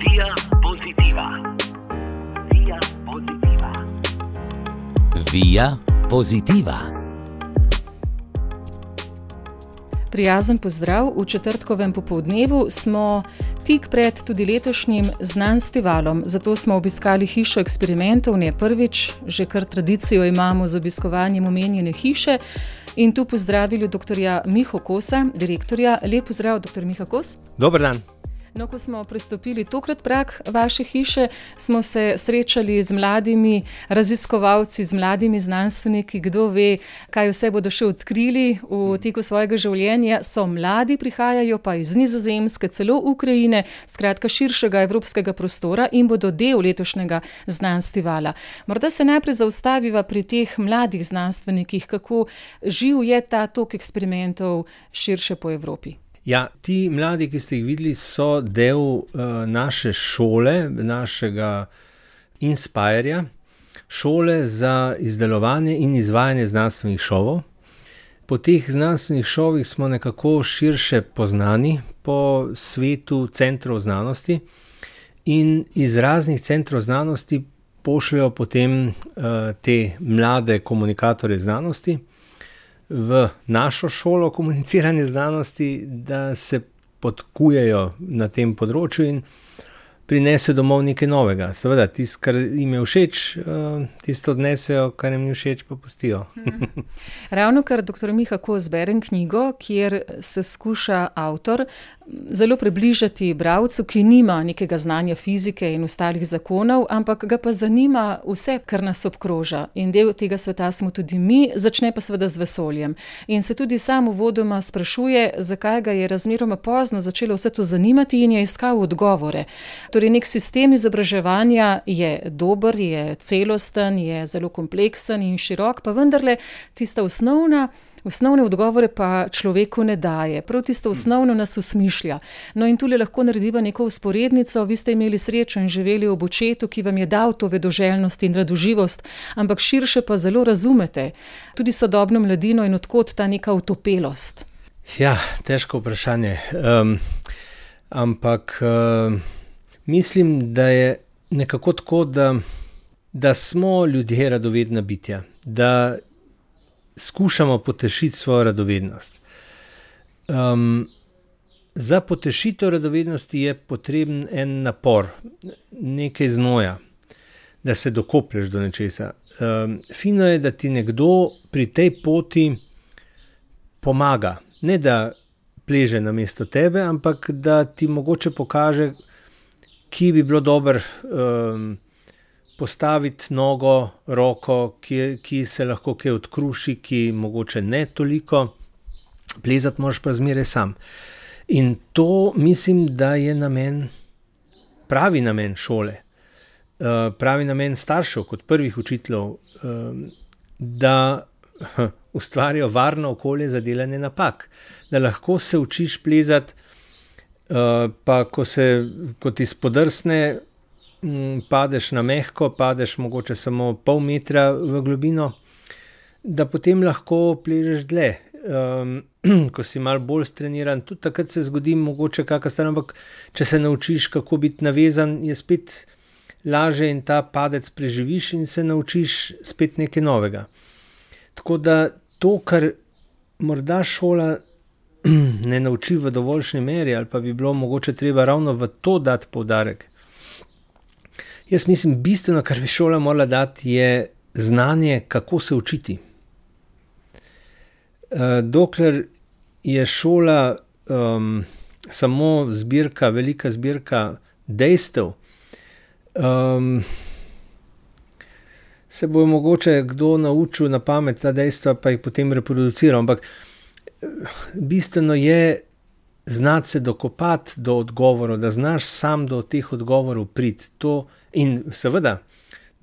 Via Positiva. Via Positiva. Via Positiva. Prijazen pozdrav. V četrtkovem popoldnevu smo tik pred tudi letošnjim Znanstivalom. Zato smo obiskali hišo eksperimentov, ne prvič, že kar tradicijo imamo z obiskovanjem omenjene hiše. In tu pozdravili dr. Miho Kosa, direktorja. Lep pozdrav, dr. Miha Kos. Dober dan. No, ko smo prestopili tokrat prag vaše hiše, smo se srečali z mladimi raziskovalci, z mladimi znanstveniki, kdo ve, kaj vse bodo še odkrili v teku svojega življenja. So mladi, prihajajo pa iz Nizozemske, celo Ukrajine, skratka širšega evropskega prostora in bodo del letošnjega Znanstivala. Morda se najprej zaustaviva pri teh mladih znanstvenikih, kako živ je ta tok eksperimentov širše po Evropi. Ja, ti mladi, ki ste jih videli, so del naše šole, našega Inspirja, šole za izdelovanje in izvajanje znanstvenih šovov. Po teh znanstvenih šovih smo nekako širše poznani po svetu centrov znanosti in iz raznih centrov znanosti pošljajo potem te mlade komunikatorje znanosti v našo šolo komuniciranja znanosti, da se podkujejo na tem področju in prinesejo domov nekaj novega. Seveda, tisto, kar jim je všeč, tisto odnesejo, kar jim ni všeč, pa pustijo. Ravno kar dr. Miha Kos berem knjigo, kjer se skuša avtor zelo približati bralcu, ki nima nekega znanja fizike in ostalih zakonov, ampak ga pa zanima vse, kar nas obkroža. In del tega sveta smo tudi mi, začne pa seveda z vesoljem. In se tudi sam uvodoma sprašuje, zakaj ga je razmeroma pozno začelo vse to zanimati in je iskal odgovore. Torej, nek sistem izobraževanja je dober, je celosten, je zelo kompleksen in širok, pa vendarle tista osnovne odgovore pa človeku ne daje. Prav tisto osnovno nas usmišlja. No in tule lahko narediva neko vzporednico. Vi ste imeli srečo in živeli ob očetu, ki vam je dal to vedoželjnost in radoživost, ampak širše pa zelo razumete tudi sodobno mladino in od kod ta neka utopelost. Ja, težko vprašanje. Ampak mislim, da je nekako tako, da smo ljudje radovedna bitja, da skušamo potešiti svojo radovednost. Za potešitev radovednosti je potreben en napor, nekaj znoja, da se dokoplješ do nečesa. Fino je, da ti nekdo pri tej poti pomaga. Ne da pleže namesto tebe, ampak da ti mogoče pokaže, ki bi bilo dobro postaviti nogo, roko, ki se lahko kaj odkruši, ki mogoče ne toliko. Plezati moraš pa zmeraj sam. In to mislim, da je pravi namen šole, pravi namen staršev kot prvih učiteljev, da ustvarijo varno okolje za delanje napak. Da lahko se učiš plezati, pa ko ti spodrsne, padeš na mehko, padeš mogoče samo pol metra v globino, da potem lahko pležeš dlje. Ko si malo bolj streniran, tudi takrat se zgodi mogoče kakšna stvar, ampak če se naučiš, kako biti navezan, je spet lažje in ta padec preživiš in se naučiš spet nekaj novega. Tako da to, kar morda šola ne nauči v dovoljšnji meri, ali pa bi bilo mogoče treba ravno v to dati poudarek. Jaz mislim, bistveno, kar bi šola morala dati, je znanje, kako se učiti. Dokler je šola samo zbirka, velika zbirka dejstev, se bo mogoče kdo naučil na pamet ta dejstva, pa jih potem reproduciral. Ampak bistveno je znati se dokopati do odgovorov, da znaš sam do teh odgovorov priti. In seveda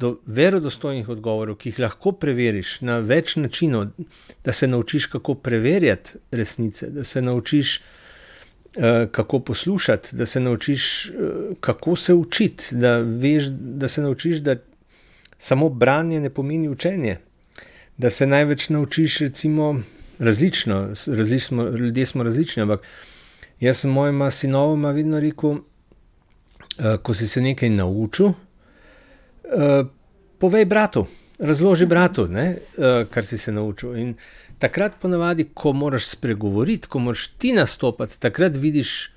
do verodostojnih odgovorov, ki jih lahko preveriš na več načinov, da se naučiš, kako preverjati resnice, da se naučiš, kako poslušati, da se naučiš, kako se učiti, da se naučiš, da samo branje ne pomeni učenje, da se največ naučiš recimo različno, ljudje smo različni, ampak jaz sem mojima sinovoma vedno rekel, ko si se nekaj naučil, povej bratu, razloži bratu, kar si se naučil. In takrat ponavadi, ko moraš spregovoriti, ko moraš ti nastopati, takrat vidiš,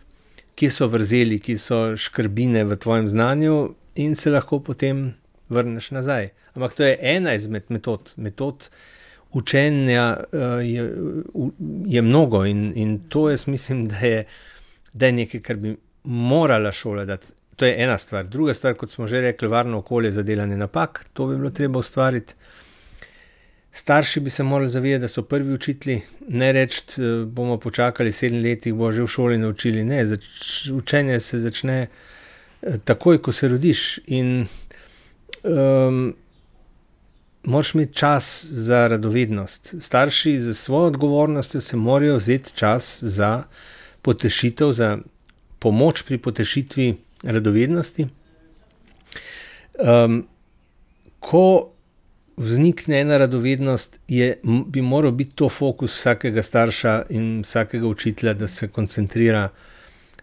kje so vrzeli, kje so škrbine v tvojem znanju in se lahko potem vrneš nazaj. Ampak to je ena izmed metod. Metod učenja je mnogo in to jaz mislim, da je nekaj, kar bi morala šola dati. To je ena stvar. Druga stvar, kot smo že rekli, varno okolje za delanje napak, to bi bilo treba ustvariti. Starši bi se morali zavedati, da so prvi učitelji, ne reči, bomo počakali 7 let, bo že v šoli naučili. Ne, učenje se začne takoj, ko se rodiš in moraš imeti čas za radovednost. Starši za svojo odgovornostjo se morajo vzeti čas za potešitev, za pomoč pri potešitvi radovednosti. Ko vznikne ena radovednost, bi moral biti to fokus vsakega starša in vsakega učitelja, da se koncentrira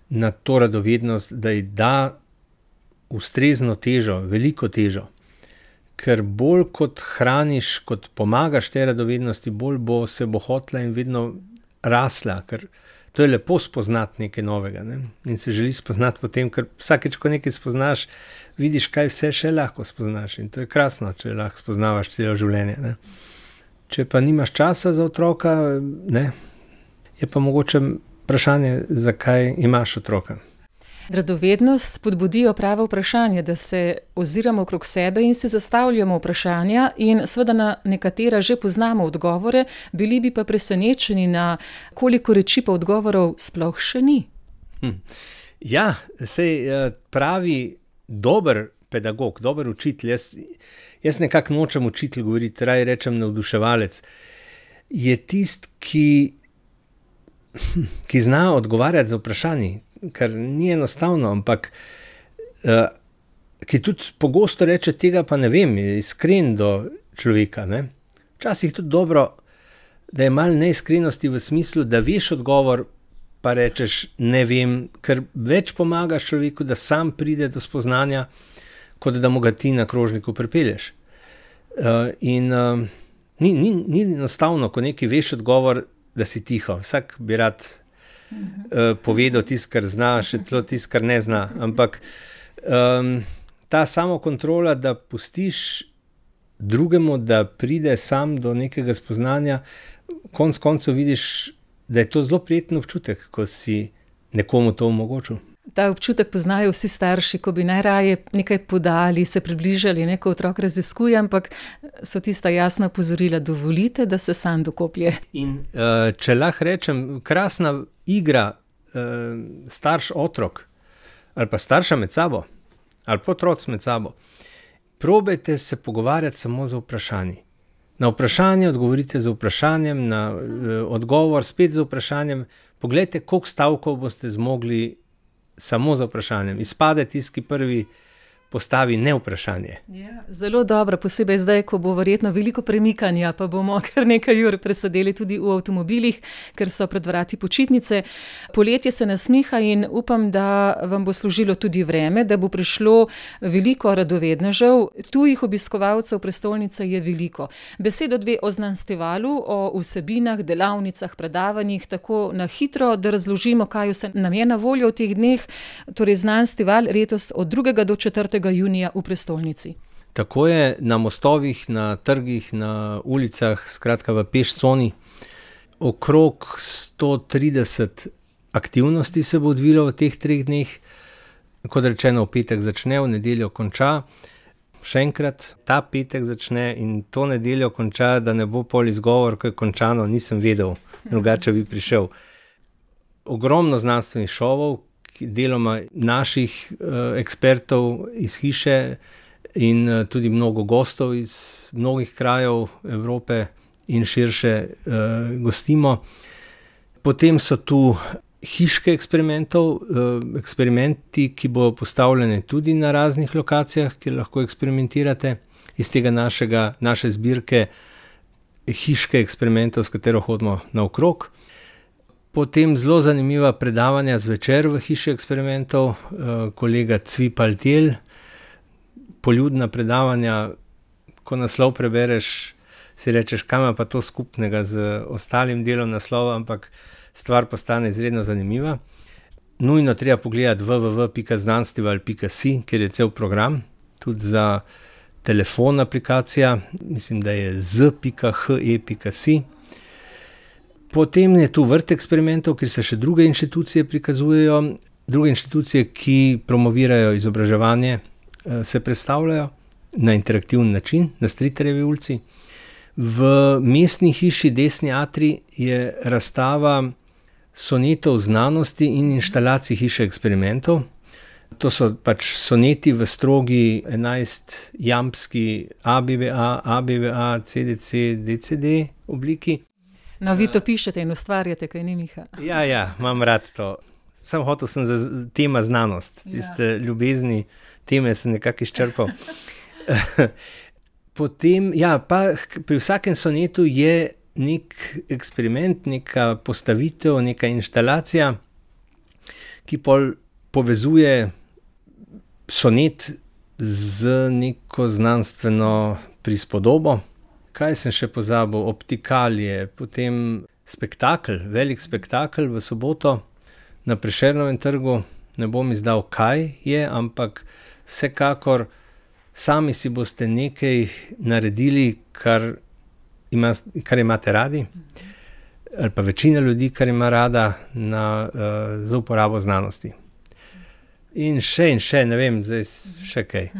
na to radovednost, da ji da ustrezno težo, veliko težo. Ker bolj kot hraniš, kot pomagaš tej radovednosti, bolj se bo hotla in vedno rasla, ker to je lepo spoznati nekaj novega, in se želi spoznati potem, ker vsakeč, ko nekaj spoznaš, vidiš, kaj vse še lahko spoznaš in to je krasno, če lahko spoznavaš celo življenje. Če pa nimaš časa za otroka, je pa mogoče vprašanje, zakaj imaš otroka. Radovednost podbudijo pravo vprašanje, da se oziramo okrog sebe in se zastavljamo vprašanja in seveda na nekatera že poznamo odgovore, bili bi pa presenečeni, na koliko reči pa odgovorov sploh še ni. Ja, sej pravi dober pedagog, dober učitelj, jaz nekako nočem učitelj govoriti, raje rečem navduševalec, je tist, ki zna odgovarjati za vprašanje, kar ni enostavno, ampak ki tudi pogosto reče, tega pa ne vem, je iskren do človeka. Včasih tudi dobro, da je malo neiskrenosti v smislu, da veš odgovor, pa rečeš ne vem, ker več pomagaš človeku, da sam pride do spoznanja, kot da mu ga ti na krožniku pripelješ. Ni enostavno, ko nekaj veš odgovor, da si tiho. Vsak bi rad povedal tisto, kar zna, še celo tisto, kar ne zna. Ampak ta samokontrola, da pustiš drugemu, da pride sam do nekega spoznanja, konec koncev vidiš, da je to zelo prijeten občutek, ko si nekomu to omogočil. Ta občutek poznajo vsi starši, ko bi najraje nekaj podali, se približali, ko otrok raziskuje, ampak so tista jasna opozorila, dovolite, da se sam dokoplje. In če lahko rečem, krasna igra starš-otrok, ali pa starša med sabo, ali pa otroc med sabo, probajte se pogovarjati samo za vprašanje. Na vprašanje odgovorite z vprašanjem, na odgovor spet z vprašanjem. Poglejte, koliko stavkov boste zmogli samo za vprašanjem. Izpade tisti, ki prvi postavi ne vprašanje. Ja, zelo dobro, posebej zdaj, ko bo verjetno veliko premikanja, pa bomo kar nekaj ur presedeli tudi v avtomobilih, ker so pred vrati počitnice. Poletje se nasmiha in upam, da vam bo služilo tudi vreme, da bo prišlo veliko radovednežev. Tujih obiskovalcev prestolnice je veliko. Besedo dve o Znanstivalu, o vsebinah, delavnicah, predavanjih, tako na hitro, da razložimo, kaj vse nam je na voljo v teh dneh. Torej Znanstival letos od 2. do 4. junija v prestolnici. Tako je, na mostovih, na trgih, na ulicah, skratka v pešconi. Okrog 130 aktivnosti se bo odvilo v teh 3 dneh. Kot rečeno, v petek začne, v nedeljo konča. Še enkrat, ta petek začne in to nedeljo konča, da ne bo pol izgovor, ko je končano, nisem vedel, drugače bi prišel. Ogromno znanstvenih šovov, deloma naših ekspertov iz hiše in tudi mnogo gostov iz mnogih krajev Evrope in širše gostimo. Potem so tu hiške eksperimenti, ki bodo postavljene tudi na raznih lokacijah, kjer lahko eksperimentirate iz tega naše zbirke hiške eksperimentov, s katero hodimo naokrog. Potem zelo zanimiva predavanja zvečer v Hiši eksperimentov, kolega Cvipal Tjel, poljudna predavanja, ko naslov prebereš, si rečeš, kaj ima pa to skupnega z ostalim delom naslova, ampak stvar postane izredno zanimiva. Nujno treba pogledati www.znanstival.si, kjer je cel program, tudi za telefon aplikacija, mislim, da je z.he.si. Potem je tu vrt eksperimentov, kjer se še druge inštitucije prikazujejo, druge inštitucije, ki promovirajo izobraževanje, se predstavljajo na interaktivni način, na Stritarjevi ulici. V mestni hiši Desni atrij je razstava sonetov znanosti in inštalacij Hiše eksperimentov. To so pač soneti v strogi 11-jampski ABBA, CDC, DCD obliki. No, vi to pišete in ustvarjate, kaj ni, Miha? Ja, imam rad to. Sam hotel sem za tema znanost, tiste ljubezni teme sem nekako izčrpal. Potem, pa pri vsakem sonetu je nek eksperiment, neka postavitev, neka inštalacija, ki povezuje sonet z neko znanstveno prispodobo. Kaj sem še pozabil? Optikalije, potem spektakel, velik spektakel v soboto na Prešernovem trgu. Ne bom izdal, kaj je, ampak vsekakor sami si boste nekaj naredili, kar imate radi, ali pa večina ljudi, kar ima rada za uporabo znanosti. In še, ne vem, zdaj še kaj.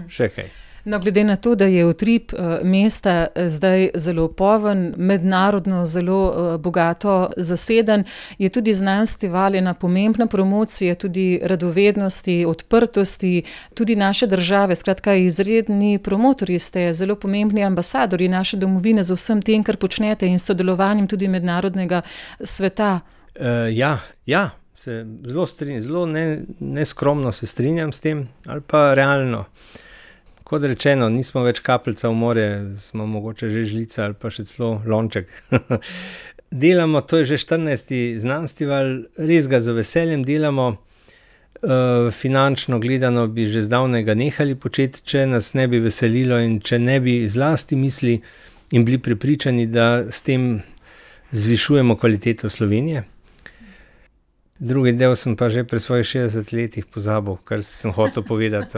No, glede na to, da je utrip mesta zdaj zelo poln, mednarodno zelo bogato zaseden, je tudi Znanstival ena pomembna promocija, tudi radovednosti, odprtosti, tudi naše države. Skratka, izredni promotorji ste, zelo pomembni ambasadorji naše domovine z vsem tem, kar počnete in sodelovanjem tudi mednarodnega sveta. Se zelo strinjam, zelo neskromno se strinjam s tem, ali pa realno. Kot rečeno, nismo več kapljica v morje, smo mogoče že žlica ali pa še celo lonček. Delamo, to je že 14. Znanstival, res ga z veseljem delamo. Finančno gledano bi že zdavnaj ga nehali početi, če nas ne bi veselilo in če ne bi zlasti misli in bili prepričani, da s tem zvišujemo kvaliteto Slovenije. Drugi del sem pa že pri svojih 60 letih pozabil, kar sem hotel povedati.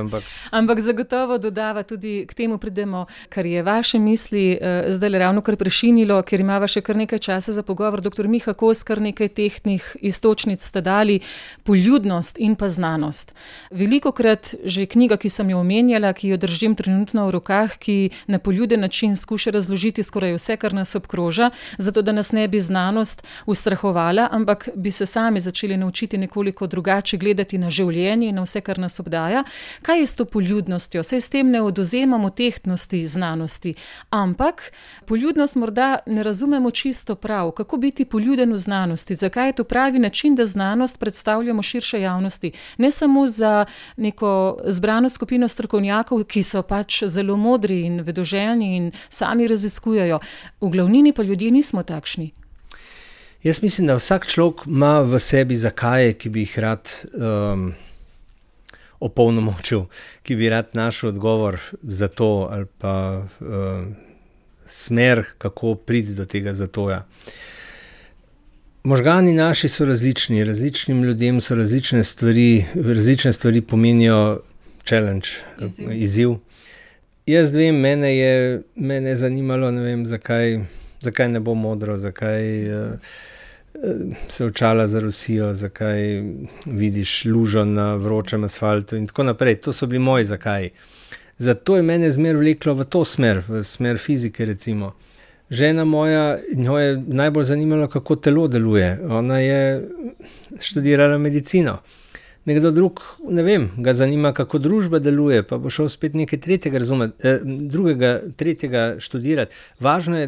Ampak zagotovo dodava tudi k temu pridemo, kar je vaše misli zdaj ravno kar prešinilo, ker imava še kar nekaj časa za pogovor. Dr. Miha Kos, kar nekaj tehtnih iztočnic ste dali, poljudnost in pa znanost. Velikokrat že knjiga, ki sem jo omenjala, ki jo držim trenutno v rokah, ki na poljuden način skuša razložiti skoraj vse, kar nas obkroža, zato da nas ne bi znanost ustrahovala, ampak bi se sami začeli naučiti nekoliko drugače gledati na življenje in na vse, kar nas obdaja. Kaj je s to poljudnostjo? Saj s tem ne odvzemamo tehtnosti znanosti, ampak poljudnost morda ne razumemo čisto prav. Kako biti poljuden v znanosti? Zakaj je to pravi način, da znanost predstavljamo širše javnosti? Ne samo za neko zbrano skupino strokovnjakov, ki so pač zelo modri in vedoželjni in sami raziskujejo. V glavnini pa ljudje nismo takšni. Jaz mislim, da vsak človek ima v sebi zakaje, ki bi jih rad opolnomočil, ki bi rad našel odgovor za to ali pa smer, kako priti do tega zatoja. Možgani naši so različni, različnim ljudem so različne stvari pomenijo challenge, izziv. Jaz vem, mene je zanimalo, ne vem, zakaj ne bo modro, zakaj se očala za Rusijo, zakaj vidiš lužo na vročem asfaltu in tako naprej. To so bili moji zakaji. Zato je mene zmer vleklo v to smer, v smer fizike recimo. Žena moja, njo je najbolj zanimalo, kako telo deluje. Ona je študirala medicino. Nekdo drug, ne vem, ga zanima, kako družba deluje, pa bo šel spet nekaj tretjega študirati. Važno je,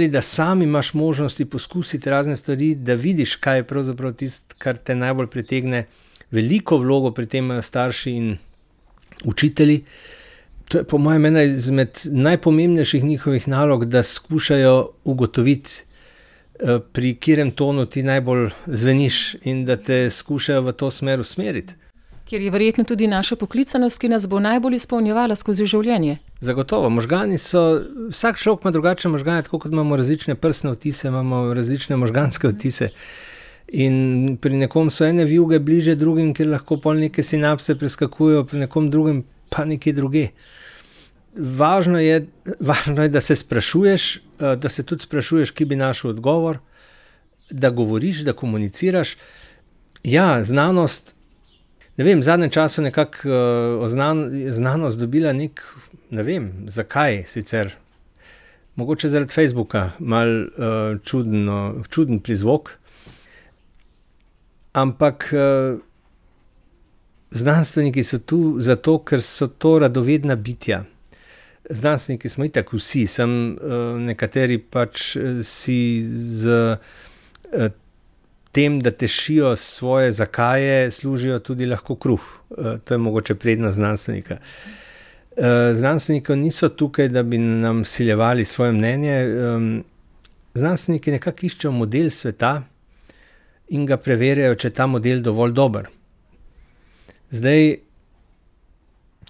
da sam imaš možnosti poskusiti razne stvari, da vidiš, kaj je pravzaprav tisto, kar te najbolj pritegne. Veliko vlogo pri tem imajo starši in učitelji. To je po mojem ena izmed najpomembnejših njihovih nalog, da skušajo ugotoviti, pri katerem tonu ti najbolj zveniš in da te skušajo v to smer usmeriti. Ker je verjetno tudi naša poklicanost, ki nas bo najbolj izpolnjevala skozi življenje. Zagotovo, možgani so, vsak človek ima drugačne možgane, tako kot imamo različne prsne odtise, imamo različne možganske odtise. In pri nekom so ene vijuge bliže drugim, kjer lahko pol neke sinapse preskakujejo, pri nekom drugem pa nekje druge. Važno je, da se sprašuješ, da se tudi sprašuješ, kje bi našel odgovor, da govoriš, da komuniciraš. Ja, znanost, ne vem, v zadnjem času nekako znanost dobila ne vem, zakaj sicer. Mogoče zaradi Facebooka, malo čuden prizvok. Ampak znanstveniki so tu zato, ker so to radovedna bitja. Znanstveniki smo itak vsi, nekateri pač si z tem, da tešijo svoje zakaje, služijo tudi lahko kruh. To je mogoče prednost znanstvenika. Znanstveniki niso tukaj, da bi nam vsiljevali svoje mnenje. Znanstveniki nekako iščejo model sveta in ga preverjajo, če je ta model dovolj dober. Zdaj,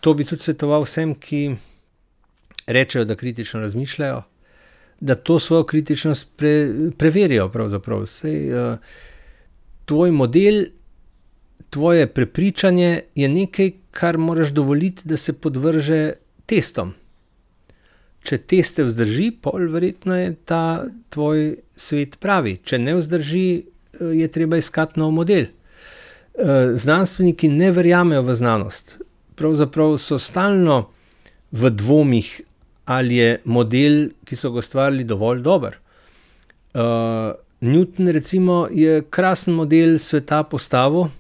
to bi tudi svetoval vsem, ki rečejo, da kritično razmišljajo, da to svojo kritičnost preverijo pravzaprav. Tvoj model, tvoje prepričanje je nekaj, kar moraš dovoliti, da se podvrže testom. Če teste vzdrži, pol verjetno je ta tvoj svet pravi. Če ne vzdrži, je treba iskati nov model. Znanstveniki ne verjamejo v znanost. Pravzaprav so stalno v dvomih, ali je model, ki so ga ustvarili, dovolj dober. Newton recimo je krasen model sveta postavil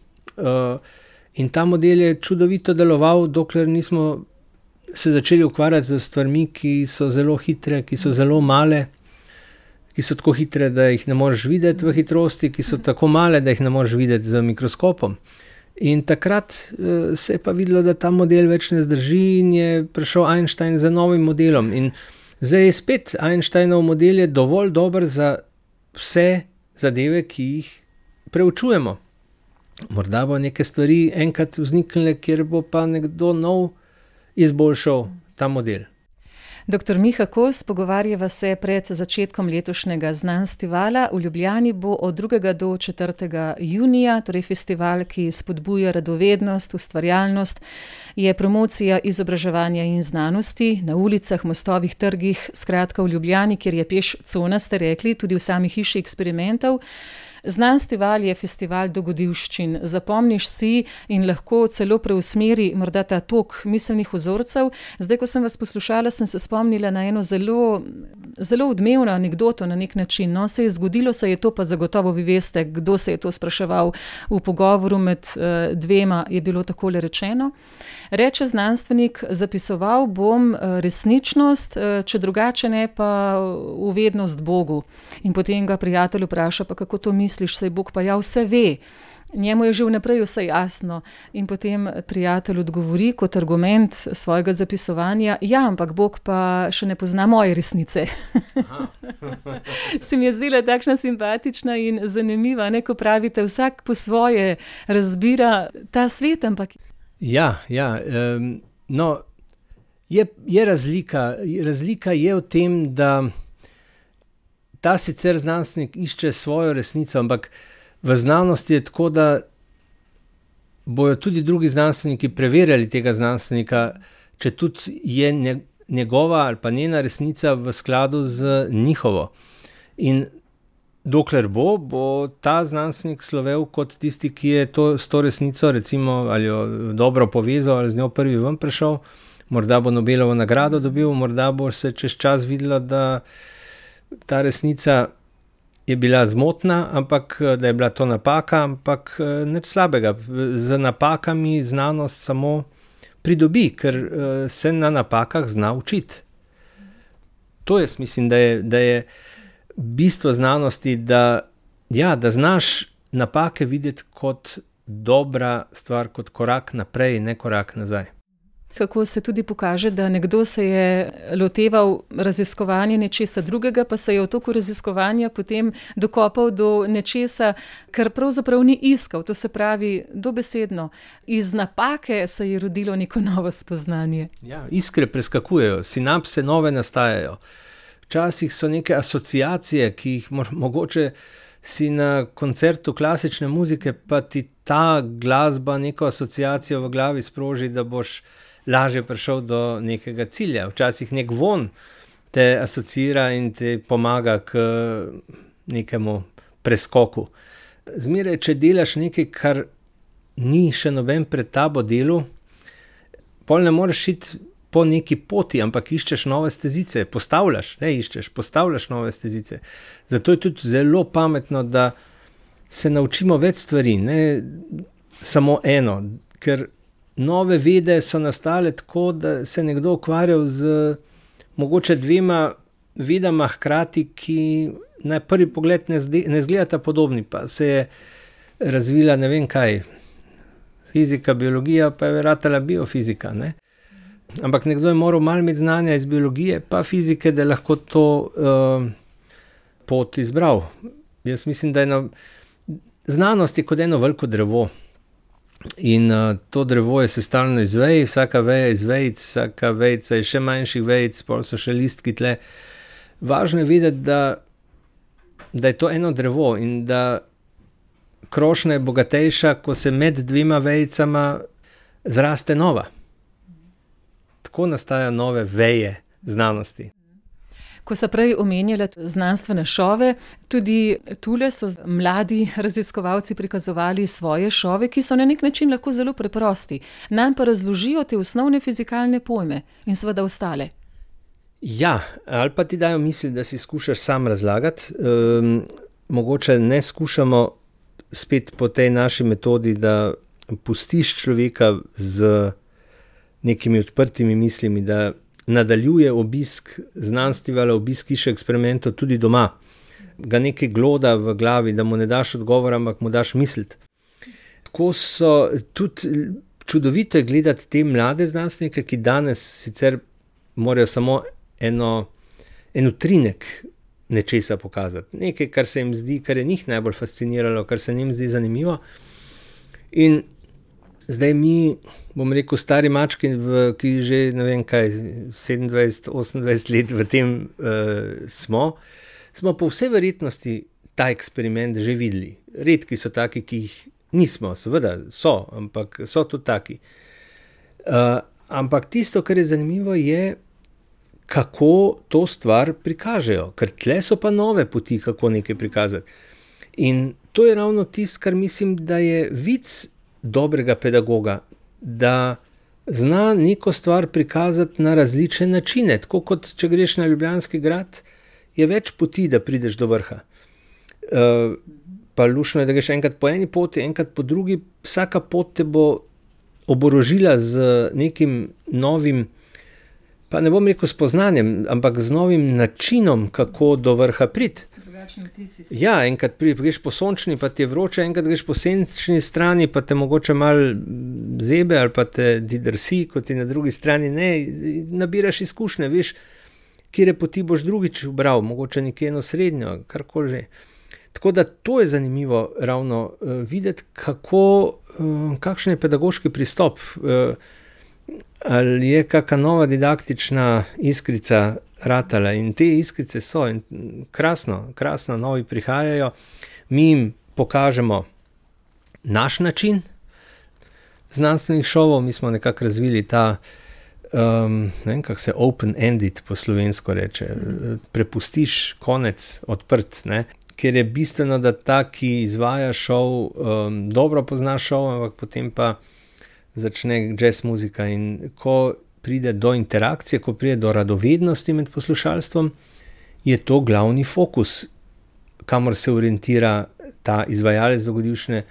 in ta model je čudovito deloval, dokler nismo se začeli ukvarjati z stvarmi, ki so zelo hitre, ki so zelo male, ki so tako hitre, da jih ne moreš videti v hitrosti, ki so tako male, da jih ne moreš videti z mikroskopom. In takrat se je pa videlo, da ta model več ne zdrži in je prišel Einstein z novim modelom. In zdaj je spet Einsteinov model je dovolj dober za vse zadeve, ki jih preučujemo. Morda bo neke stvari enkrat vzniknile, kjer bo pa nekdo nov izboljšal ta model. Dr. Miha Kos, pogovarjava se pred začetkom letošnjega Znanstivala. V Ljubljani bo od 2. do 4. junija, torej festival, ki spodbuja radovednost, ustvarjalnost, je promocija izobraževanja in znanosti na ulicah, mostovih, trgih, skratka v Ljubljani, kjer je peš cona, ste rekli, tudi v sami hiši eksperimentov. Znanstival je festival dogodivščin. Zapomniš si in lahko celo preusmeri morda ta tok miselnih vzorcev. Zdaj, ko sem vas poslušala, sem se spomnila na eno zelo odmevno anekdoto na nek način. No, se je zgodilo, se je to, pa zagotovo vi veste, kdo se je to spraševal v pogovoru med dvema, je bilo takole rečeno. Reče znanstvenik, zapisoval bom resničnost, če drugače ne pa uvednost Bogu. In potem ga prijatelj vpraša, pa kako to misliš, saj Bog pa ja vse ve. Njemu je že vnaprej vse jasno. In potem prijatelj odgovori kot argument svojega zapisovanja, ja, ampak Bog pa še ne pozna moje resnice. Se mi je zdela takšna simpatična in zanimiva, ne, ko pravite, vsak po svoje razbira ta svet, ampak... Ja, no, je razlika. Razlika je v tem, da ta sicer znanstvenik išče svojo resnico, ampak v znanosti je tako, da bojo tudi drugi znanstveniki preverjali tega znanstvenika, če tudi je njegova ali pa njena resnica v skladu z njihovo. In dokler bo ta znanstvenik slovel kot tisti, ki je s to resnico recimo ali jo dobro povezal ali z njo prvi ven prišel, morda bo Nobelovo nagrado dobil, morda bo se čez čas videlo, da ta resnica je bila zmotna, ampak da je bila to napaka, ampak ne slabega. Z napakami znanost samo pridobi, ker se na napakah zna učiti. To jaz mislim, da je bistvo znanosti, da znaš napake videti kot dobra stvar, kot korak naprej, ne korak nazaj. kako se tudi pokaže, da nekdo se je loteval raziskovanja nečesa drugega, pa se je v toku raziskovanja potem dokopal do nečesa, kar pravzaprav ni iskal. To se pravi dobesedno. Iz napake se je rodilo neko novo spoznanje. Ja, iskre preskakujejo, sinapse nove nastajajo. Včasih so neke asociacije, ki jih mogoče si na koncertu klasične muzike, pa ti ta glasba neko asociacijo v glavi sproži, da boš lažje prišel do nekega cilja. Včasih nek von te asociira in te pomaga k nekemu preskoku. Zmeraj, če delaš nekaj, kar ni še noben pred tabo delu, pol ne moreš iti po neki poti, ampak iščeš nove stezice, postavljaš nove stezice. Zato je tudi zelo pametno, da se naučimo več stvari, ne samo eno, ker nove vede so nastale tako, da se nekdo ukvarjal z mogoče 2 vedama hkrati, ki na prvi pogled ne zgledata podobni, pa se je razvila ne vem kaj, fizika, biologija, pa je ratala biofizika, ne. Ampak nekdo je moral malo imeti znanja iz biologije, pa fizike, da je lahko to pot izbral. Jaz mislim, da znanost je kot eno veliko drevo. In to drevo je sestavljeno iz vej, vsaka veja iz vejic, vsaka vejica je še manjših vejic, pol so še listki tle. Važno je vedeti, da je to eno drevo in da krošnja je bogatejša, ko se med 2 vejicama zraste nova. Tako nastajajo nove veje znanosti. Ko so prej omenjali znanstvene šove, tudi tule so mladi raziskovalci prikazovali svoje šove, ki so na nek način lahko zelo preprosti. Nam pa razložijo te osnovne fizikalne pojme in seveda ostale. Ja, ali pa ti dajo misli, da si skušaš sam razlagati. Mogoče ne skušamo spet po tej naši metodi, da pustiš človeka z nekimi odprtimi mislimi, da nadaljuje obisk znanstvenih, obisk hiše eksperimentov tudi doma. Ga nekaj gloda v glavi, da mu ne daš odgovora, ampak mu daš misliti. Tako so tudi čudovito gledati te mlade znanstvenike, ki danes sicer morajo samo en utrinek nečesa pokazati. Nekaj, kar se jim zdi, kar je njih najbolj fasciniralo, kar se njim zdi zanimivo. In zdaj mi, bom rekel, stari mački, ki že, ne vem kaj, 27-28 let v tem smo po vsej verjetnosti ta eksperiment že videli. Redki so taki, ki jih nismo, seveda so, ampak so tudi taki. Ampak tisto, kar je zanimivo, je, kako to stvar prikažejo, ker tle so pa nove poti, kako nekaj prikazati. In to je ravno tisto, kar mislim, da je vic dobrega pedagoga, da zna neko stvar prikazati na različne načine, tako kot če greš na Ljubljanski grad, je več poti, da prideš do vrha. Pa luštno je, da greš enkrat po eni poti, enkrat po drugi, vsaka pot te bo oborožila z nekim novim, pa ne bom rekel spoznanjem, ampak z novim načinom, kako do vrha priti. Ja, enkrat greš po sončni, pa ti je vroče, enkrat greš po senčni strani, pa te mogoče malo zebe ali pa te drsi, kot ti na drugi strani ne, nabiraš izkušnje, veš, kire poti boš drugič ubral, mogoče nekje eno srednjo, karkoli že. Tako da to je zanimivo ravno videti, kakšen je pedagoški pristop, ali je kakšna nova didaktična iskrica ratala in te iskrice so in krasno novi prihajajo. Mi jim pokažemo naš način znanstvenih šovov, mi smo nekako razvili ta, ne vem, kako se open-ended po slovensko reče, prepustiš konec odprt, ne, ker je bistveno, da ta, ki izvaja šov, dobro pozna šov, ampak potem pa začne jazz muzika in ko pride do interakcije, ko pride do radovednosti med poslušalstvom, je to glavni fokus, kamor se orientira ta izvajalec dogodivšne.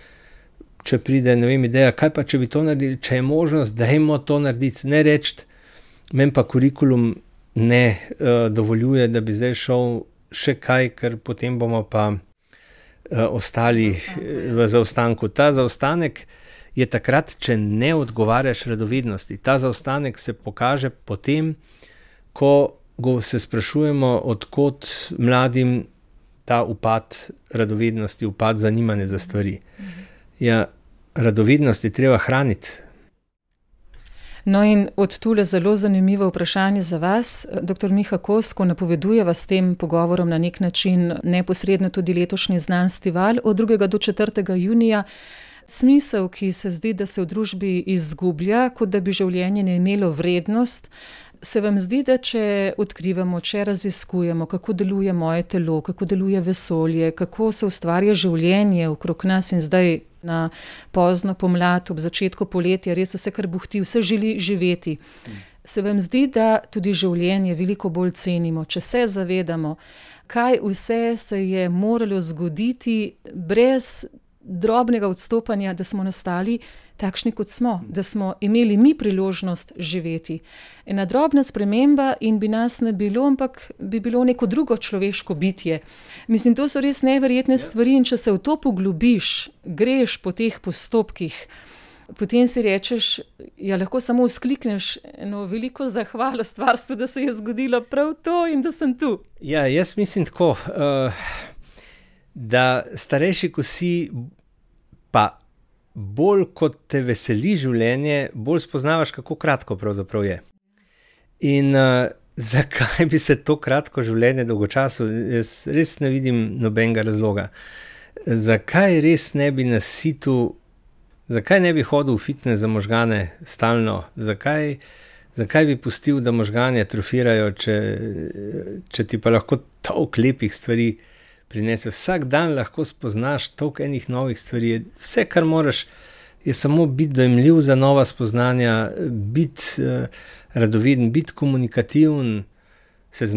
Če pride, ne vem, ideja, kaj pa če bi to naredili, če je možnost, dajmo to narediti, ne reči, meni pa kurikulum ne dovoljuje, da bi zdaj šel še kaj, ker potem bomo pa ostali v zaostanku. Ta zaostanek je takrat, če ne odgovarjaš radovednosti. Ta zaostanek se pokaže potem, ko se sprašujemo, odkot mladim ta upad radovednosti, upad zanimanja za stvari. Ja, radovednost je treba hraniti. No in od tule zelo zanimivo vprašanje za vas. Dr. Miha Kos, ko napovedujeva s tem pogovorom na nek način neposredno tudi letošnji Znanstival od 2. do 4. junija, smisel, ki se zdi, da se v družbi izgublja, kot da bi življenje ne imelo vrednost, se vam zdi, da če odkrivamo, če raziskujemo, kako deluje moje telo, kako deluje vesolje, kako se ustvarja življenje okrog nas in zdaj na pozno pomlad, ob začetku poletja, res vse kar buhti, vse želi živeti. Se vam zdi, da tudi življenje veliko bolj cenimo, če se zavedamo, kaj vse se je moralo zgoditi brez drobnega odstopanja, da smo nastali takšni, kot smo, da smo imeli mi priložnost živeti. Ena drobna sprememba in bi nas ne bilo, ampak bi bilo neko drugo človeško bitje. Mislim, to so res neverjetne stvari in če se v to poglobiš, greš po teh postopkih, potem si rečeš, ja, lahko samo vzklikneš eno veliko zahvalo stvarstvu, da se je zgodilo prav to in da sem tu. Ja, jaz mislim tako, da starejši, ko si, pa bolj kot te veseli življenje, bolj spoznavaš, kako kratko pravzaprav je. In zakaj bi se to kratko življenje dolgočasilo? Jaz res ne vidim nobenega razloga. Zakaj res ne bi nasitil, zakaj ne bi hodil v fitness za možgane stalno? Zakaj bi pustil, da možgani atrofirajo, če ti pa lahko toliko lepih stvari prinese. Vsak dan lahko spoznaš toliko enih novih stvari. Vse, kar moraš, je samo biti dojemljiv za nova spoznanja, biti radoveden, biti komunikativen, se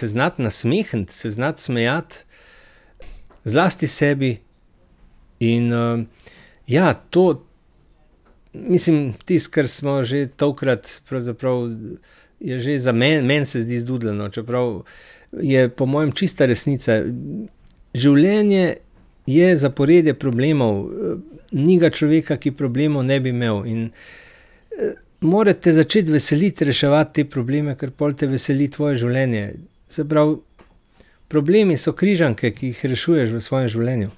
znati nasmehniti, se znati smejati, zlasti sebi. In ja, to, mislim, tisto, kar smo že tokrat, pravzaprav je že za meni se zdi zdudljeno, čeprav je po mojem čista resnica. Življenje je zaporedje problemov, ni ga človeka, ki problemov ne bi imel in morate začeti veseliti, reševati te probleme, ker pol te veseli tvoje življenje. Se pravi, problemi so križanke, ki jih rešuješ v svojem življenju.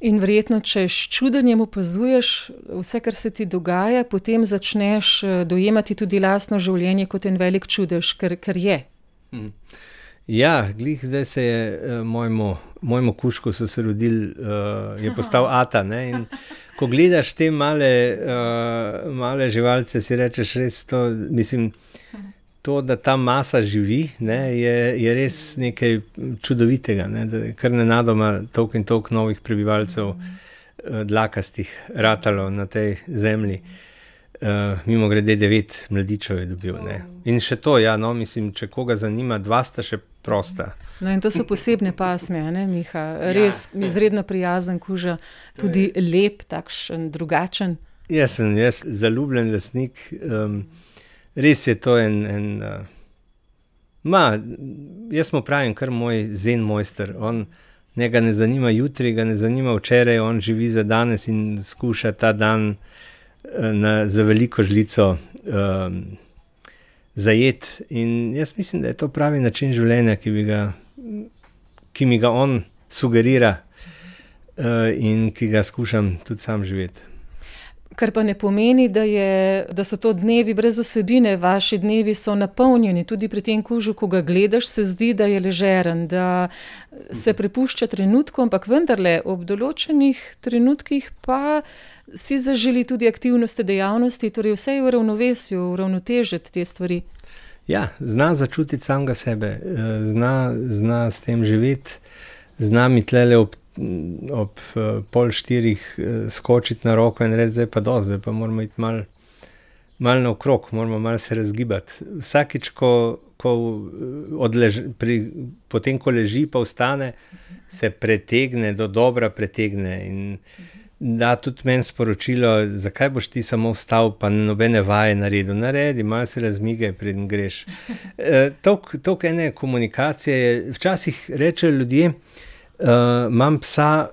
In verjetno, če s čudenjem opazuješ vse, kar se ti dogaja, potem začneš dojemati tudi lastno življenje kot en velik čudež, ker je. Ja, glih zdaj se je mojemu kužku so se rodili, je postal ata, ne, in ko gledaš te male živalce, si rečeš res to, mislim, to, da ta masa živi, ne, je res nekaj čudovitega, ne, da kar nenadoma toliko in toliko novih prebivalcev dlakastih ratalo na tej zemlji. Mimo grede 9 mladičev je dobil, ne. In še to, ja, no, mislim, če koga zanima, 2 sta še prosta. No in to so posebne pasme, ne, Miha? Res izredno prijazen kuža, tudi lep, takšen, drugačen. Jaz sem zaljubljen lastnik, res je to jaz mu pravim kar moj zen mojster, njega ne zanima jutri, ga ne zanima včeraj, on živi za danes in skuša ta dan za veliko žlico zajeti. In jaz mislim, da je to pravi način življenja, ki mi ga on sugerira in ki ga skušam tudi sam živeti. Kar pa ne pomeni, da so to dnevi brez vsebine, vaši dnevi so napolnjeni, tudi pri tem kužu, ko ga gledaš, se zdi, da je ležeren, da se prepušča trenutku, ampak vendarle ob določenih trenutkih pa si zaželi tudi aktivnosti, dejavnosti, torej vse je v ravnovesju, uravnotežiti te stvari. Ja, zna začutiti samega sebe, zna s tem živeti, zna mi tlele ob 3:30 skočiti na roko in reči, zdaj pa moramo iti malo naokrog, moramo malo se razgibati. Vsakič, potem, ko leži pa vstane, se pretegne, do dobra pretegne in da tudi meni sporočilo, zakaj boš ti samo vstal, pa nobene vaje naredil. Naredi, malo se razmigaj, preden greš. Toliko ene komunikacije, včasih rečejo ljudje, imam psa,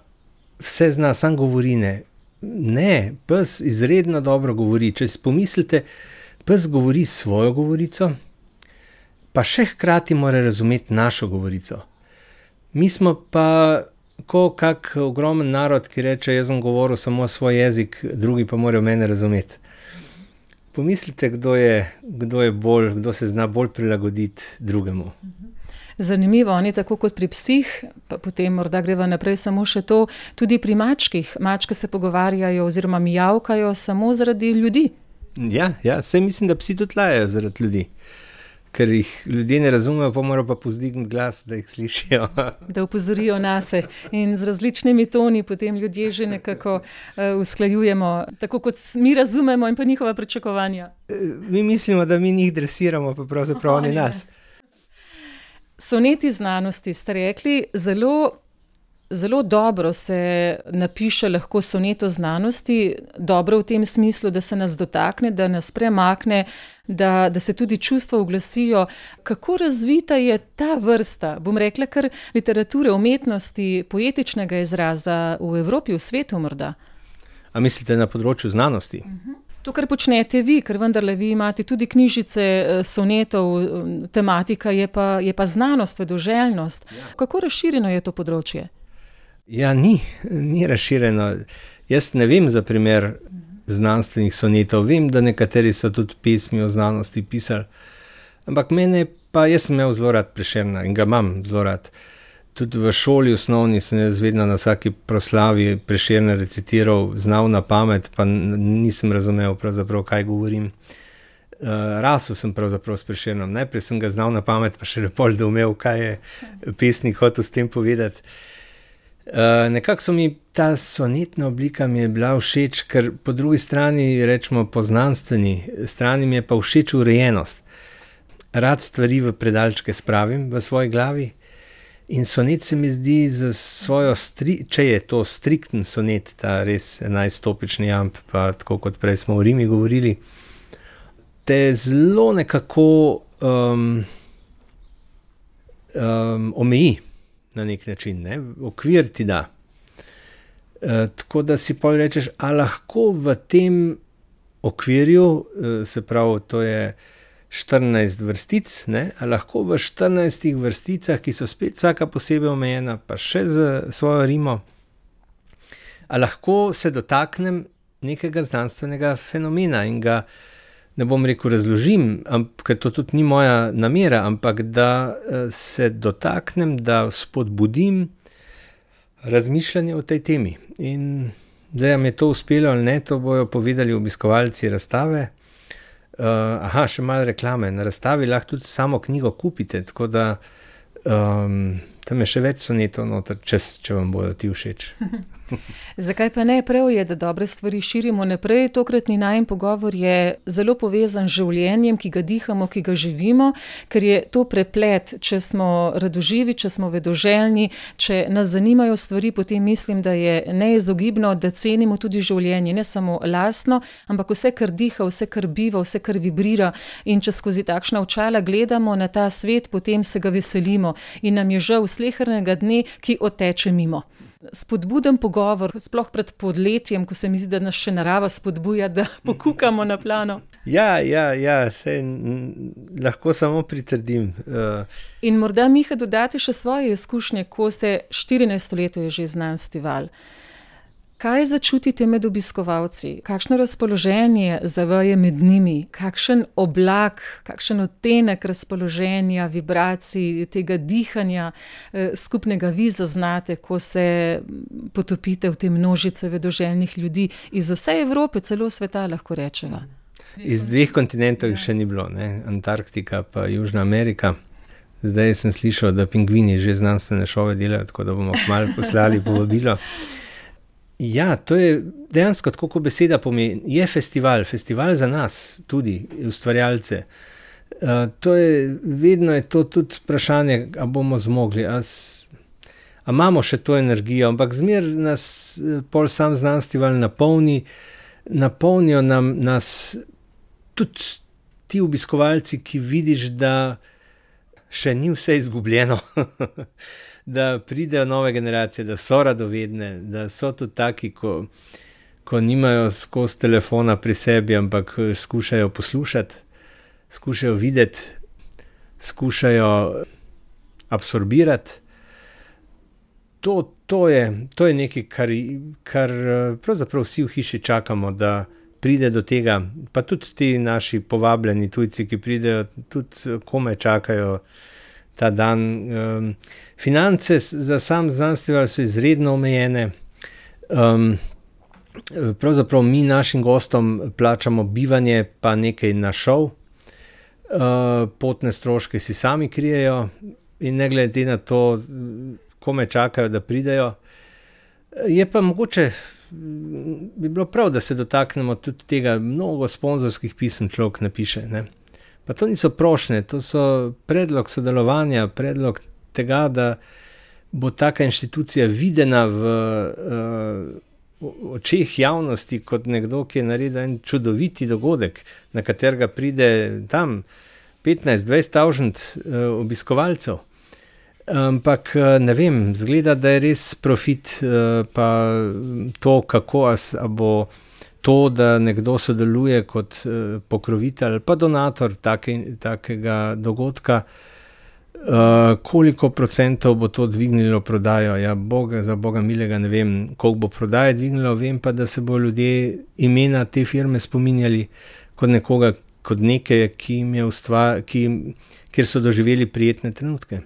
vse zna, sam govori ne. Ne, pes izredno dobro govori. Če si pomislite, pes govori svojo govorico, pa še hkrati mora razumeti našo govorico. Mi smo pa kak ogromen narod, ki reče, jaz bom govoril samo svoj jezik, drugi pa morajo mene razumeti. Pomislite, kdo se zna bolj prilagoditi drugemu. Zanimivo, oni tako kot pri psih, pa potem morda greva naprej samo še to, tudi pri mačkih. Mačke se pogovarjajo oziroma mijavkajo samo zaradi ljudi. Ja, saj mislim, da psi tudi lajajo zaradi ljudi. Ker jih ljudje ne razumejo, pa morajo pa povzdigniti glas, da jih slišijo. Da opozorijo nase in z različnimi toni potem ljudje že nekako usklajujemo, tako kot mi razumemo in pa njihova pričakovanja. Mi mislimo, da mi njih dresiramo, pa pravzaprav oni nas. Soneti znanosti ste rekli, zelo dobro se napiše lahko sonet o znanosti, dobro v tem smislu, da se nas dotakne, da nas premakne, da se tudi čustva uglasijo. Kako razvita je ta vrsta, bom rekla, kar literature, umetnosti, poetičnega izraza v Evropi, v svetu morda? A mislite na področju znanosti? To, kar počnete vi, ker vendarle vi imate tudi knjižice sonetov, tematika je pa znanost, vedoželjnost. Ja. Kako razširjeno je to področje? Ja, ni razširjeno. Jaz ne vem za primer znanstvenih sonetov. Vem, da nekateri so tudi pesmi o znanosti pisali. Ampak jaz sem imel zelo rad Prešerna in ga imam zelo rad. Tudi v šoli osnovni sem jaz vedno na vsaki proslavi Prešerna recitiral, znal na pamet, pa nisem razumel pravzaprav, kaj govorim. Rasel sem pravzaprav s Prešernom. Najprej sem ga znal na pamet, pa še lepo doumel, kaj je pesnik hotel s tem povedati. Nekako so mi ta sonetna oblika mi je bila všeč, ker po drugi strani, rečemo po znanstveni strani, mi je pa všeč urejenost. Rad stvari v predalčke spravim v svoji glavi in sonet se mi zdi za svojo, če je to strikten sonet, ta res 11-stopični jamb, pa tako kot prej smo o Rimi govorili, te zelo nekako omeji. Na nek način, ne? Okvir ti da. Tako da si pol rečeš, a lahko v tem okvirju, se pravi, to je 14 vrstic, ne? A lahko v 14 vrsticah, ki so spet vsaka posebej omejena, pa še z svojo rimo, a lahko se dotaknem nekega znanstvenega fenomena in ga, ne bom rekel razložim, ker to tudi ni moja namera, ampak da se dotaknem, da spodbudim razmišljanje o tej temi. In zdaj, mi je to uspelo ali ne, to bojo povedali obiskovalci razstave. Še malo reklame. Na razstavi lahko tudi samo knjigo kupite, tako da tam je še več sonetov noter, če vam bodo ti všeč. Zakaj pa ne? Prav je, da dobre stvari širimo naprej. Tokratni najin pogovor je zelo povezan z življenjem, ki ga dihamo, ki ga živimo, ker je to preplet. Če smo radoživi, če smo vedoželjni, če nas zanimajo stvari, potem mislim, da je neizogibno, da cenimo tudi življenje, ne samo lastno, ampak vse, kar diha, vse, kar biva, vse, kar vibrira. In če skozi takšna očala gledamo na ta svet, potem se ga veselimo in nam je žal slehernega dne, ki odteče mimo. Spodbuden pogovor, sploh pred podletjem, ko se mi zdi, da nas še narava spodbuja, da pokukamo na plano. Ja, saj lahko samo pritrdim. In morda, Miha, dodati še svoje izkušnje, ko se 14 let je že znanstveval. Kaj začutite med obiskovalci? Kakšno razpoloženje zaveje med njimi? Kakšen oblak, kakšen odtenek razpoloženja, vibracij, tega dihanja skupnega vi zaznate, ko se potopite v te množice vedoželjnih ljudi iz vse Evrope, celo sveta, lahko rečeva? Iz 2 kontinentov še ni bilo, ne? Antarktika pa Južna Amerika. Zdaj sem slišal, da pingvini že znanstvene šove delajo, tako da bomo kmalu poslali povabilo. Ja, to je dejansko, tako kot beseda pomeni, je festival za nas, tudi ustvarjalce. Vedno je to tudi vprašanje, a bomo zmogli, a imamo še to energijo, ampak zmer nas pol sam znanstveval napolnijo nas tudi ti obiskovalci, ki vidiš, da še ni vse izgubljeno. Da pridejo nove generacije, da so radovedne, da so tudi taki, ko nimajo skozi telefona pri sebi, ampak skušajo poslušati, skušajo videti, skušajo absorbirati. To je nekaj, kar pravzaprav vsi v hiši čakamo, da pride do tega. Pa tudi ti naši povabljeni tujci, ki pridejo, tudi komaj čakajo ta dan. Finance za sam festival so izredno omejene. Pravzaprav mi našim gostom plačamo bivanje, pa nekaj na šov. Potne stroške si sami krijejo in ne glede na to, kome čakajo, da pridejo. Je pa mogoče, bi bilo prav, da se dotaknemo tudi tega, mnogo sponzorskih pisem človek napiše, ne. Pa to niso prošnje, to so predlog sodelovanja, predlog tega, da bo taka inštitucija videna v očeh javnosti kot nekdo, ki je naredil en čudoviti dogodek, na katerega pride tam 15-20 obiskovalcev. Ampak ne vem, zgleda, da je res profit, pa to, kako a bo to, da nekdo sodeluje kot pokrovitelj, pa donator takega dogodka, koliko procentov bo to dvignilo prodajo. Ja, za Boga milega ne vem, koliko bo prodaje dvignilo, vem pa, da se bo ljudje imena te firme spominjali kot nekoga, kot nekaj, kjer so doživeli prijetne trenutke.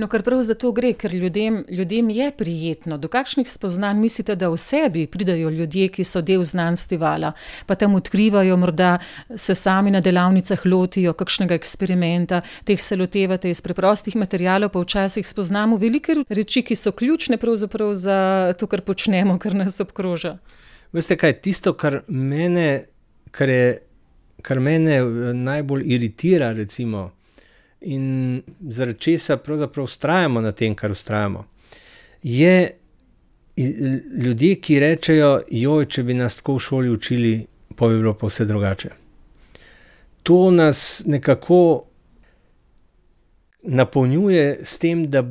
No, kar prav za to gre, ker ljudem je prijetno. Do kakšnih spoznanj mislite, da v sebi pridajo ljudje, ki so del znanstvevala, pa tam odkrivajo, morda se sami na delavnicah lotijo kakšnega eksperimenta, teh se lotevate iz preprostih materialov, pa včasih spoznamo velike reči, ki so ključne pravzaprav za to, kar počnemo, kar nas obkroža. Veste kaj, tisto, kar mene najbolj iritira, recimo, in zaradi česa pravzaprav vztrajamo na tem, kar vztrajamo, je ljudje, ki rečejo, če bi nas tako v šoli učili, pa bi bilo pa vse drugače. To nas nekako napolnjuje s tem, da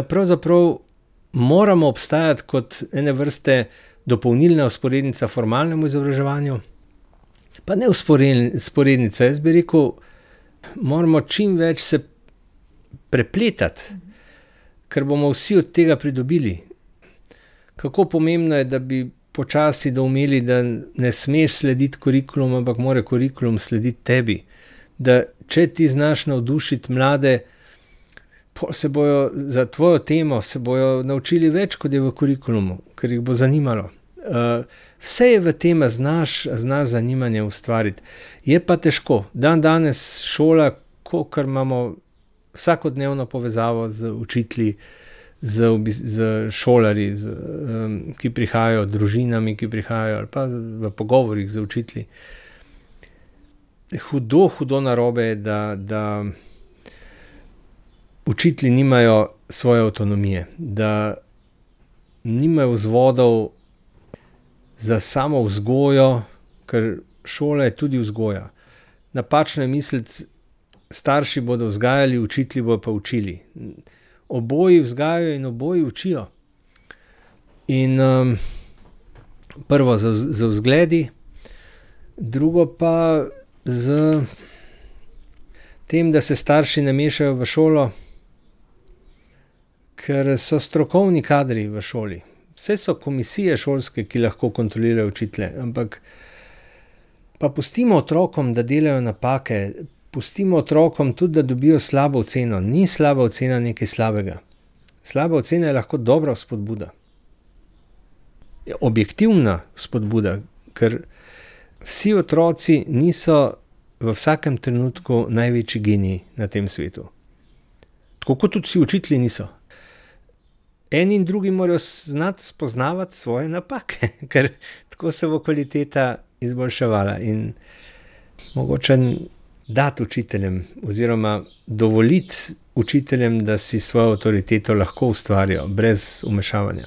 pravzaprav moramo obstajati kot ene vrste dopolnilna vzporednica formalnemu izobraževanju, pa ne vzporednica, jaz bi rekel, moramo čim več se prepletati, ker bomo vsi od tega pridobili. Kako pomembno je, da bi počasi doumeli, da ne smeš slediti kurikulum, ampak mora kurikulum slediti tebi. Da če ti znaš navdušiti mlade, se bojo za tvojo temo se bojo naučili več, kot je v kurikulumu, ker jih bo zanimalo. Vse je v tem, znaš zanimanje ustvariti. Je pa težko. Danes šola, ker imamo vsakodnevno povezavo z učitelji, z šolarji, ki prihajajo, družinami, ki prihajajo, ali pa v pogovorih z učitelji. Hudo narobe je, da učitelji nimajo svoje avtonomije, da nimajo vzvodov za samo vzgojo, ker šola je tudi vzgoja. Napačno je misliti, starši bodo vzgajali, učitelji bodo pa učili. Oboji vzgajajo in oboji učijo. In prvo z vzgledi, drugo pa z tem, da se starši ne mešajo v šolo, ker so strokovni kadri v šoli. Vse so komisije šolske, ki lahko kontrolirajo učitelje, ampak pa pustimo otrokom, da delajo napake, pustimo otrokom tudi, da dobijo slabo oceno. Ni slaba ocena nekaj slabega. Slaba ocena je lahko dobra spodbuda. Objektivna spodbuda, ker vsi otroci niso v vsakem trenutku največji geniji na tem svetu. Tako kot tudi vsi učitelji niso. Eni in drugi morajo znati spoznavati svoje napake, ker tako se bo kvaliteta izboljševala. In mogoče dati učiteljem oziroma dovoliti učiteljem, da si svojo avtoriteto lahko ustvarijo, brez vmešavanja.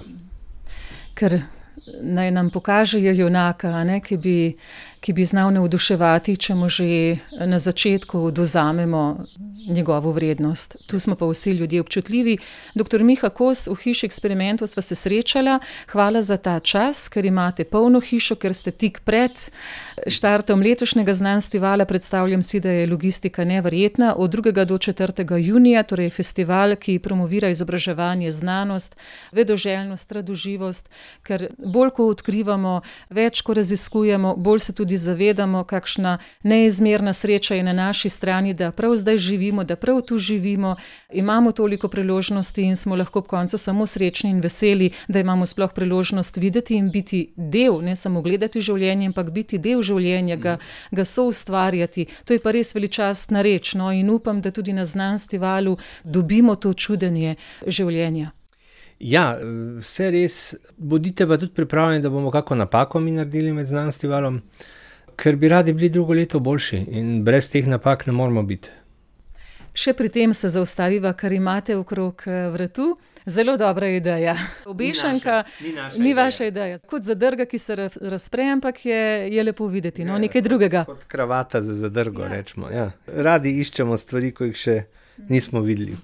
Ker naj nam pokažejo junaka, ki bi znal navduševati, če mu že na začetku dozamemo njegovo vrednost. Tu smo pa vsi ljudje občutljivi. Dr. Miha Kos, v Hiši eksperimentov sva se srečala. Hvala za ta čas, ker imate polno hišo, ker ste tik pred štartom letošnjega Znanstivala. Predstavljam si, da je logistika neverjetna. Od 2. do 4. junija, torej festival, ki promovira izobraževanje, znanost, vedoželjnost, radoživost, ker bolj ko odkrivamo, več ko raziskujemo, bolj se tudi zavedamo, kakšna neizmerna sreča je na naši strani, da prav zdaj živimo, da prav tu živimo, imamo toliko priložnosti in smo lahko ob koncu samo srečni in veseli, da imamo sploh priložnost videti in biti del, ne samo gledati življenje, ampak biti del življenja, ga soustvarjati. To je pa res veličastna reč, no, in upam, da tudi na Znanstivalu dobimo to čudenje življenja. Ja, vse res. Bodite pa tudi pripravljeni, da bomo kako napako mi naredili med Znanstivalom, ker bi radi bili drugo leto boljši in brez teh napak ne moramo biti. Še pri tem se zaustaviva, kar imate okrog vratu. Zelo dobra ideja. Obešanka ni vaša ideja. Kot zadrga, ki se razpre, ampak je lepo videti, no, nekaj drugega. Kot kravata za zadrgo, rečemo. Ja. Radi iščemo stvari, ko jih še nismo videli.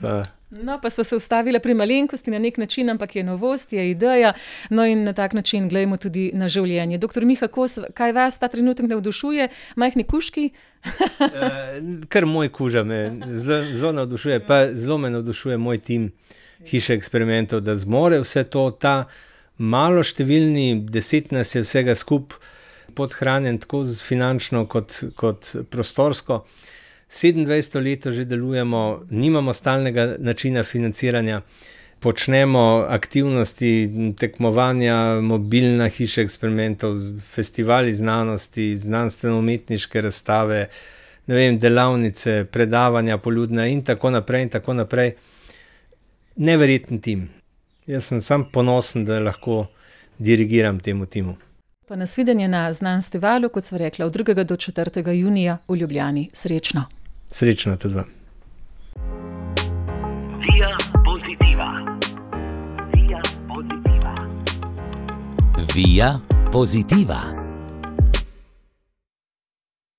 No, pa sva se ustavila pri malenkosti na nek način, ampak je novost, je ideja, no in na tak način gledamo tudi na življenje. Dr. Miha Kos, kaj vas ta trenutek navdušuje? Majhni kužki? Kar moj kuža me zelo navdušuje, pa zelo me navdušuje moj tim Hiše eksperimentov, da zmore vse to, ta malo številni, 10 nas je vsega skup podhranjen, tako finančno kot prostorsko. 27 let že delujemo, nimamo stalnega načina financiranja, počnemo aktivnosti, tekmovanja, mobilna Hiša eksperimentov, festivali znanosti, znanstveno-umetniške razstave, ne vem, delavnice, predavanja poljudna in tako naprej in tako naprej. Neverjeten tim. Jaz sem sam ponosen, da lahko dirigiram temu timu. Pa nasvidenje na Znanstivalu, kot sva rekla, od 2. do 4. junija v Ljubljani. Srečno. Srečno tudi vam. Via Positiva. Via Positiva. Via Positiva.